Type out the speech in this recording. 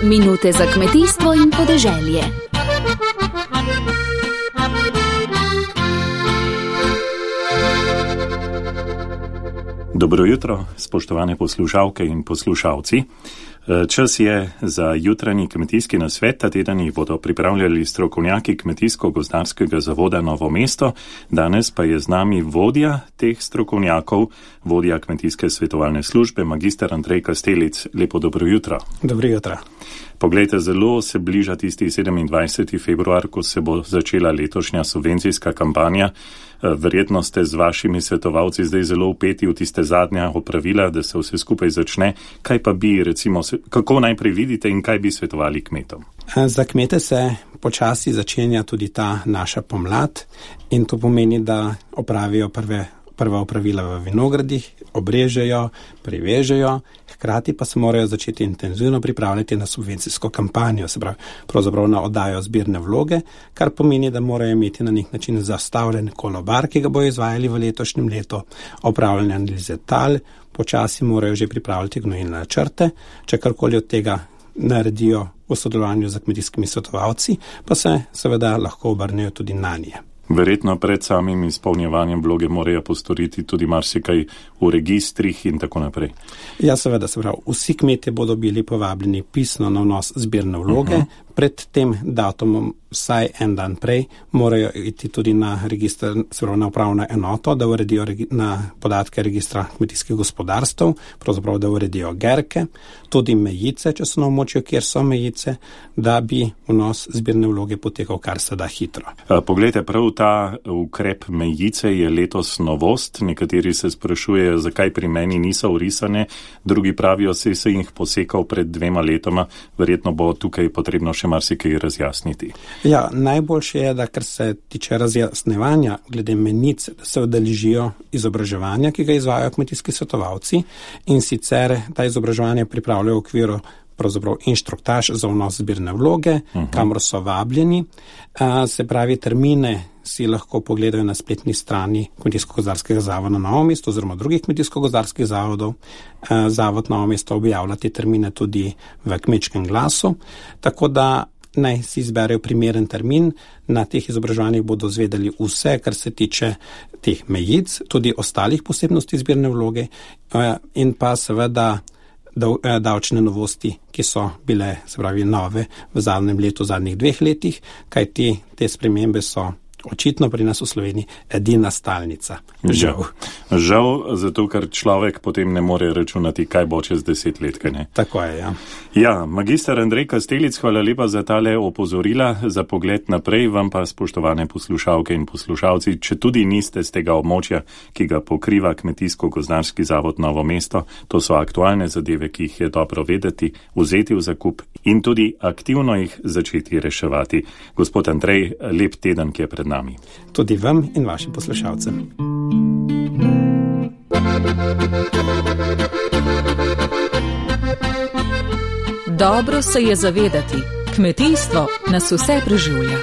Minute za kmetijstvo in podeželje. Dobro jutro, spoštovane poslušalke in poslušalci. Čas je za jutranji kmetijski nasvet. Ta teden jih bodo pripravljali strokovnjaki Kmetijsko-gozdarskega zavoda Novo mesto. Danes pa je z nami vodja teh strokovnjakov, vodja kmetijske svetovalne službe, magister Andrej Kastelic. Lepo dobro jutro. Dobro jutro. Poglejte, zelo se bliža tisti 27. februar, ko se bo začela letošnja subvencijska kampanja. Verjetno ste z vašimi svetovalci zdaj zelo vpeti v tiste zadnja opravila, da se vse skupaj začne. Kaj pa bi, recimo, kako najprej vidite in kaj bi svetovali kmetom? Za kmete se počasi začenja tudi ta naša pomlad in to pomeni, da opravijo prva opravila v vinogradih, obrežejo, privežejo, hkrati pa se morajo začeti intenzivno pripravljati na subvencijsko kampanjo, se pravi, pravzaprav na oddajo zbirne vloge, kar pomeni, da morajo imeti na nek način zastavljen kolobar, ki ga bojo izvajali v letošnjem letu, opravljene analize tal, počasi morajo že pripravljati gnojilne načrte, če karkoli od tega naredijo v sodelovanju z kmetijskimi svetovalci, pa se seveda lahko obrnejo tudi na nje. Verjetno pred samim izpolnjevanjem vloge morajo postoriti tudi marsikaj v registrih in tako naprej. Ja, seveda, se pravi, vsi kmetje bodo bili povabljeni pisno na vnos zbirne vloge. Pred tem datumom, vsaj en dan prej, morajo iti tudi na register, se pravi na upravno enoto, da uredijo na podatke registra kmetijskih gospodarstv, pravzaprav da uredijo gerke, tudi mejice, če so na območju, kjer so mejice, da bi vnos zbirne vloge potekal kar se da hitro. Poglejte, prav ta ukrep mejice je letos novost. Nekateri se sprašujejo, zakaj pri meni niso vrisane, drugi pravijo, se jih posekal pred 2 letoma, verjetno bo tukaj potrebno še marsikaj razjasniti. Ja, najboljše je, da kar se tiče razjasnevanja glede menic, da se udeležijo izobraževanja, ki ga izvajajo kmetijski svetovalci, in sicer ta izobraževanje pripravljajo v okviru pravzaprav inštruktaž za vnos zbirne vloge, kamor so vabljeni. Se pravi, termine si lahko pogledajo na spletni strani Kmetijsko-gozdarskega zavoda Novo mesto oziroma drugih kmetijsko-gozdarskih zavodov. Zavod Novo mesto objavlja te termine tudi v Kmečkem glasu, tako da naj si izberejo primeren termin. Na teh izobraževanjih bodo zvedeli vse, kar se tiče teh mejic, tudi ostalih posebnosti zbirne vloge in pa seveda davčne novosti, ki so bile, se pravi, nove v zadnjem letu, v zadnjih 2 letih, kajti te spremembe so očitno pri nas v Sloveniji edina stalnica. Žal, zato ker človek potem ne more računati, kaj bo čez 10 let, kaj ne? Tako je, ja. Ja, magister Andrej Kastelic, hvala lepa za tale opozorila, za pogled naprej. Vam pa, spoštovane poslušalke in poslušalci, če tudi niste z tega območja, ki ga pokriva Kmetijsko-gozdarski zavod Novo mesto, to so aktualne zadeve, ki jih je dobro vedeti, vzeti v zakup in tudi aktivno jih začeti reševati. Gospod Andrej, lep teden, ki je pred nami. Tudi vam in vašim poslušalcem. Dobro se je zavedati, kmetijstvo nas vse preživlja.